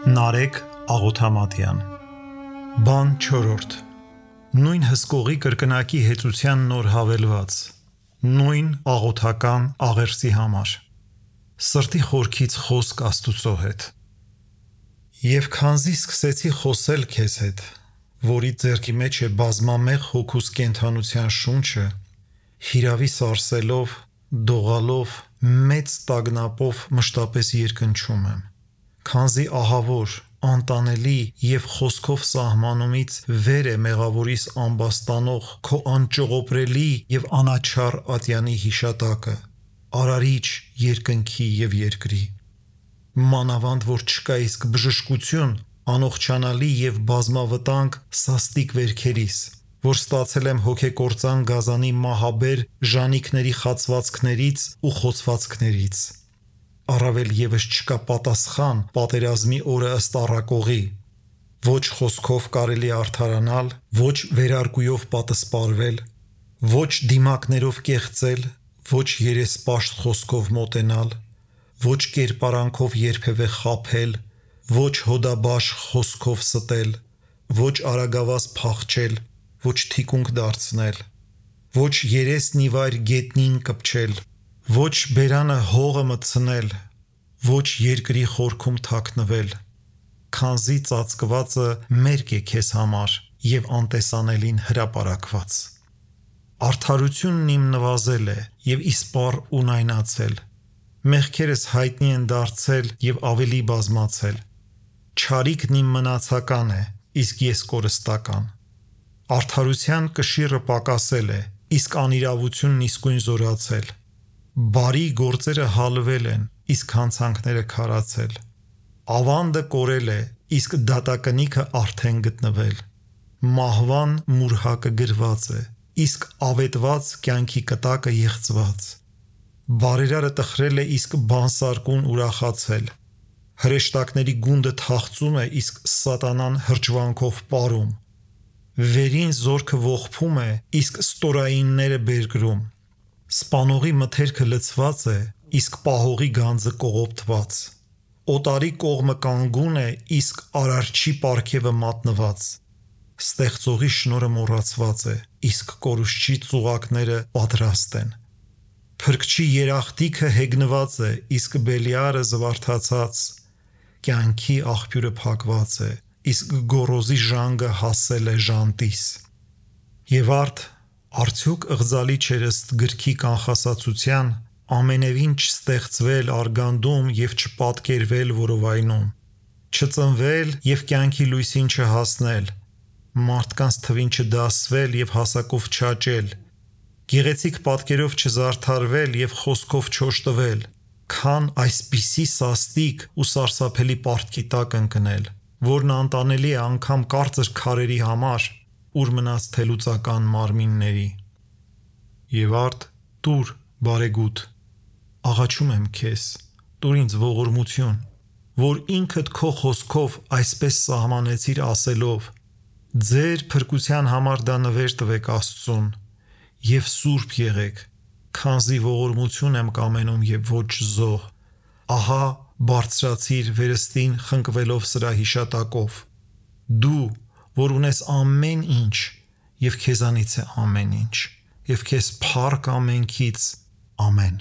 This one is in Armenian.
Նարեկ Աղոթամատյան Բան 4. Նույն հսկողի կրկնակի հեծության նոր հավելված, նույն աղոթական աղերսի համար, սրտի խորքից խոսք Աստուծո հետ։ Եվ քանզի սկսեցի խոսել քեզ հետ, որի ձեռքի մեջ է բազմամեղ հոգուս կենդանության շունչը, հիրավի սարսելով, դողալով, մեծ տագնապով մշտապես երկնչում եմ, քանզի ահավոր, անտանելի և խոսքով սահմանումից վեր է մեղավորիս ամբաստանող քո անճողոպրելի և անաչառ ատյանի հիշատակը, արարիչ երկնքի և երկրի։ Մանավանդ որ չկա իսկ բժշկություն անողջանալի և բազմավտանգ սաստիկ վերքերիս, որ ստացել եմ հոգեկործան գազանի մահաբեր ժանիքների խացվածքներից ու խոցվածքներից։ Առավել ևս չկա պատասխան պատերազմի օրը ըստ առակողի, ոչ խոսքով կարելի արդարանալ, ոչ վերարկուով պատսպարվել, ոչ դիմակներով կեղծել, ոչ երեսպաշտ խոսքով մոտենալ, ոչ կերպարանքով երբևէ խաբել, ոչ հոդաբաշ խոսքով ստել, ոչ արագավազ փախչել, ոչ թիկունք դարձնել, ոչ երեսն ի վայր գետնին կպչել, ոչ բերանը հողը մտցնել, ոչ երկրի խորքում թաքնվել, քանզի ծածկվածը մերկ է քեզ համար և անտեսանելին հրապարակված։ Արդարությունն իմ նվազել է և իսպառ ունայնացել, մեղքերս հայտնի են դարձել և ավելի բազմացել, չարիքն իմ մնացական է, իսկ ես կորստական։ Արդարության կշիռը պակասել է, իսկ անիրավությունն իսկույն զորացել, բարի գործերը հալվել են, իսկ հանցանքները քարացել, ավանդը կորել է, իսկ դատակնիքը արդեն գտնվել, մահվան մուրհակը գրված է, իսկ ավետված կյանքի կտակը եղծված, բարերարը տխրել է, իսկ բանսարկուն ուրախացել, հրեշտակների գունդը թախծում է, իսկ սատանան հրճվանքով պարում, վերին զորքը ողբում է, իսկ ստորայինները բերկրում, սպանողի մթերքը լցված է, իսկ պահողի գանձը կողոպտված, օտարի կողմը կանգուն է, իսկ արարչի պարգևը մատնված, ստեղծողի շնորհը մոռացված է, իսկ կորուստչի ծուղակները պատրաստ են, փրկչի երախտիքը հեգնված է, իսկ Բելիարը զվարթացած, կյանքի աղբյուրը փակված է, իսկ գոռոզի ժանգը հասել է ժանտիս։ Եվ արդյոք ըղձալի չէր ըստ գրքի կանխասացության ամենևին չստեղծվել արգանդում և չպատկերվել որովայնում, չծնվել և կյանքի լույսին չհասնել, մարդկանց թվին չդասվել և հասակով չաճել, գեղեցիկ պատկերով չզարդարվել և խոսքով չօժտվել, քան այսպիսի սաստիկ ու սարսափելի պարտքի տակ ընկնել, որն անտանելի է անգամ կարծր քարերի համար, ուր մնաց թելուծական մարմինների։ Եվ տուր բարեգութ, աղաչում եմ քեզ, տուր ինձ ողորմություն, որ ինքդ քո խոսքով այսպես սահմանեցիր ասելով. ձեր փրկության համար դա նվեր տվեք Աստծուն և սուրբ եղեք, քանզի ողորմություն եմ կամենում և ոչ զոհ, ահա բարձրացիր վերստին խնկվելով սրա հիշատակով, դու, որ ունես ամեն ինչ և քեզանից է ամեն ինչ, և քեզ փառք ամենքից, ամեն։